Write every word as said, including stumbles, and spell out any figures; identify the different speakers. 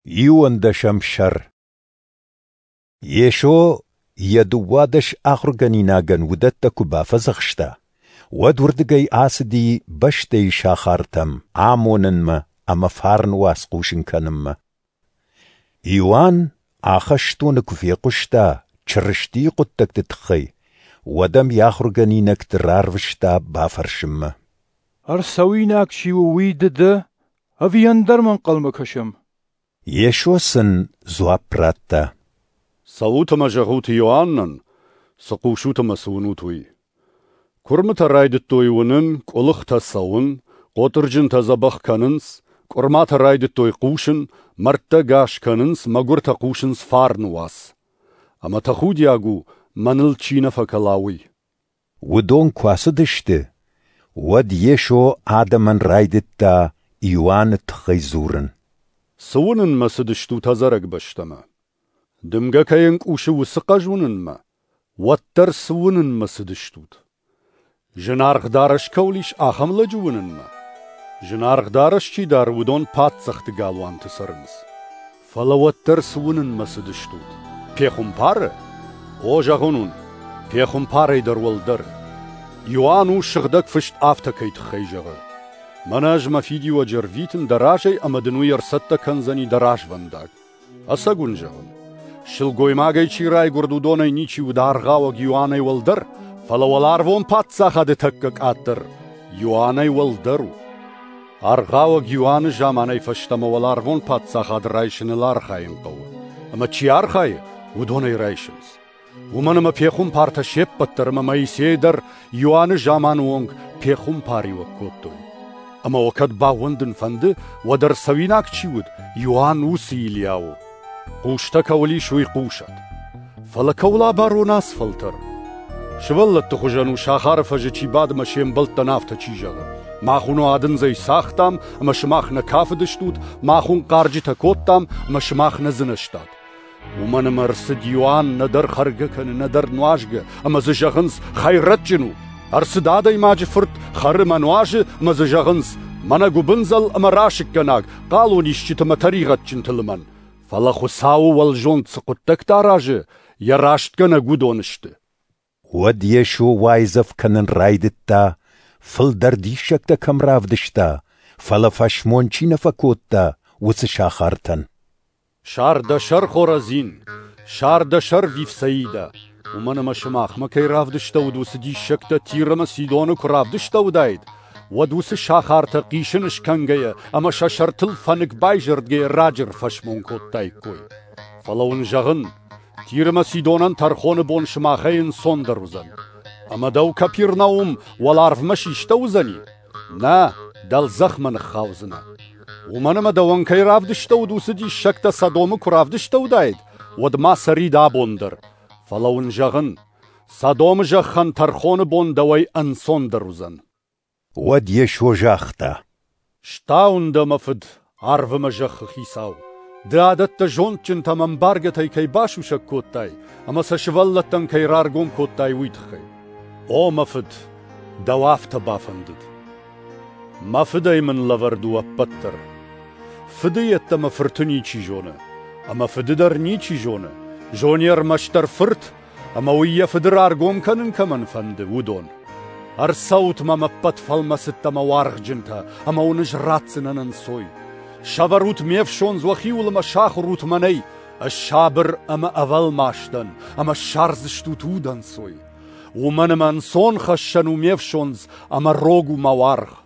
Speaker 1: Иуӕндӕсӕм сӕр. Йесо йӕ дыууадӕс ахуыргӕнинагӕн уыдӕттӕ куы бафӕдзӕхста, уӕд уырдыгӕй ацыди бӕстӕйы сахартӕм амонынмӕ ӕмӕ фарны уац хъусын кӕнынмӕ. Иоанн ахӕстоны куы фехъуыста Чырыстийы хъуыддӕгты тыххӕй, уӕд ӕм йӕ ахуыргӕнинӕгты рарвыста бафӕрсынмӕ:
Speaker 2: Ӕрцӕуинаг чи у, уый ды дӕ, ӕви ӕндӕрмӕ ӕнхъӕлмӕ кӕсӕм?
Speaker 1: Йесо сын дзуапп радта:
Speaker 3: Цӕут ӕмӕ зӕгъут Иоаннӕн, цы хъусут ӕмӕ цы уынут, уый. Куырмытӕ райдыдтой уынын, къуылыхтӕ цӕуын, хъотырджынтӕ дзӕбӕх кӕнынц, къуырматӕ райдыдтой хъусын, мӕрдтӕ гас кӕнынц, мӕгуыртӕ хъусынц фарны уац. Ӕмӕ тӕхудиаг у, мӕныл чи нӕ фӕкӕла, уый.
Speaker 1: Уыдон куы ацыдысты, уӕд Йесо адӕмӕн райдыдта Иоанны тыххӕй дзурын.
Speaker 3: Цы уынынмӕ цыдыстут ӕдзӕрӕг бӕстӕмӕ? Дымгӕ кӕй ӕнкъусы, уыцы хъӕз уынынмӕ? Уӕддӕр цы уынынмӕ цыдыстут? Зынаргъ дарӕс кӕуыл ис, ахӕм лӕджы уынынмӕ? Зынаргъ дарӕс чи дары, уыдон паддзӕхты галуанты цӕрынц. Фӕлӕ уӕддӕр цы уынынмӕ цыдыстут? Пехуымпары? О, зӕгъын уын, пехуымпарӕй дӕр уӕлдӕр. Иоанн у сыгъдӕг фыст афтӕ кӕй тыххӕй зӕгъы: Мӕнӕ ӕз мӕ фидиуӕджы ӕрвитын дӕ разӕй ӕмӕ дын уый ӕрцӕттӕ кӕндзӕни дӕ развӕндаг. Ӕцӕг уын зӕгъын, сылгоймагӕй чи райгуырд, уыдонӕй ничи уыд аргъауӕг Иоаннӕй уӕлдӕр, фӕлӕ уӕларвон паддзахады тӕккӕ къаддӕр Иоаннӕй уӕлдӕр у. Аргъауӕг Иоанны заманӕй фӕстӕмӕ уӕларвон паддзахад райсыныл архайын хъӕуы, ӕмӕ чи архайы, уыдон ӕй райсынц. Уымӕн ӕмӕ пехуымпартӕ се ппӕт дӕр ӕмӕ Моисей дӕр Иоанны заманы онг пехуымпариуӕг кодтой. Ӕмӕ уӕ кӕд баууӕндын фӕнды, уӕд ӕрцӕуинаг чи уыд, Иоанн уыцы Илиа у. Хъустӕ кӕуыл ис, уый хъусӕд. Фӕлӕ кӕуыл абарон ацы фӕлтӕр? Сывӕллӕтты хуызӕн у сахары фӕзы чи бады ӕмӕ се мбӕлттӕн афтӕ чи зӕгъы: Мах уын уадындзӕй цагътам, ӕмӕ сымах нӕ кафыдыстут, мах уын хъарджытӕ кодтам, ӕмӕ сымах нӕ дзынӕзтат. Уымӕн ӕмӕ ӕрцыд Иоанн нӕдӕр хӕргӕ кӕны, нӕдӕр нуазгӕ, ӕмӕ дзы зӕгъынц: хӕйрӕджджын у. Ӕрцыд адӕймаджы фырт, хӕры ӕмӕ нуазы, ӕмӕ дзы зӕгъынц: мӕнӕ гуыбындзӕл ӕмӕ расыггӕнаг, хъалонисджыты ӕмӕ тӕригъӕдджынты лымӕн. Фӕлӕ Хуыцауы уӕлзонд цы хъуыддӕгтӕ аразы, йӕ рӕстгӕнӕг уыдон сты.
Speaker 1: Уӕд Йесо уайдзӕф кӕнын райдыдта, фылдӕр диссӕгтӕ кӕм равдыста, фӕлӕ фӕсмон чи нӕ фӕкодта, уыцы сахартӕн.
Speaker 3: Сар дӕ сӕр, Хоразин! Сар дӕ сӕр, Вифсаидӕ! Уымӕн ӕмӕ сымахмӕ кӕй равдыстӕуыд, уыцы диссӕгтӕ Тир ӕмӕ Сидоны куы равдыстӕуыдаид, уӕд уыцы сахартӕ хъисын скӕнгӕйӕ ӕмӕ сӕ сӕртыл фӕнык байзӕрдгӕйӕ раджы ӕрфӕсмон кодтаиккой. Фӕлӕ уын зӕгъын, Тир ӕмӕ Сидонӕн тӕрхоны бон сымахӕй ӕнцондӕр уыдзӕн. Ӕмӕ дӕу, Капернаум, уӕларвмӕ систӕуыдзӕни? Нӕ, дӕлдзӕхмӕ ныххаудзынӕ. Уымӕн ӕмӕ дӕуӕн кӕй равдыстӕуыд, уыцы диссӕгтӕ Содомы куы равдыстӕуыдаид, уӕд ма цӕрид абон дӕр. Фӕлӕ уын зӕгъын, Содомы зӕххӕн тӕрхоны бон дӕуӕй ӕнцондӕр уыдзӕн.
Speaker 1: Уӕд Йесо загъта:
Speaker 3: Стауын дӕ, мӕ Фыд, арв ӕмӕ зӕххы хицау! Ды адӕттӕ зондджынтӕ ӕмӕ ӕмбаргӕтӕй кӕй басусӕг кодтай ӕмӕ сӕ сывӕллӕттӕн кӕй раргом кодтай, уый тыххӕй. О, мӕ Фыд, дӕу афтӕ бафӕндыд. Мӕ Фыдӕй мын лӕвӕрд у ӕппӕт дӕр. Фыды йеддӕмӕ Фырты ничи зоны, ӕмӕ Фыды дӕр ничи зоны, зоны ӕрмӕстдӕр Фырт, ӕмӕ уый йӕ Фыды раргом кӕнын кӕмӕн фӕнды, уыдон. Ӕрцӕут мӕм ӕппӕт фӕлмӕцыдтӕ ӕмӕ уаргъджынтӕ, ӕмӕ уын ӕз ратдзынӕн ӕнцой. Сӕвӕрут ме фсондз уӕхиуыл ӕмӕ сахуыр ут мӕнӕй, ӕз сабыр ӕмӕ ӕвӕлмас дӕн, ӕмӕ ссардзыстут удӕнцой. Уымӕн ӕмӕ ӕнцон хӕссӕн у ме фсондз, ӕмӕ рог у мӕ уаргъ.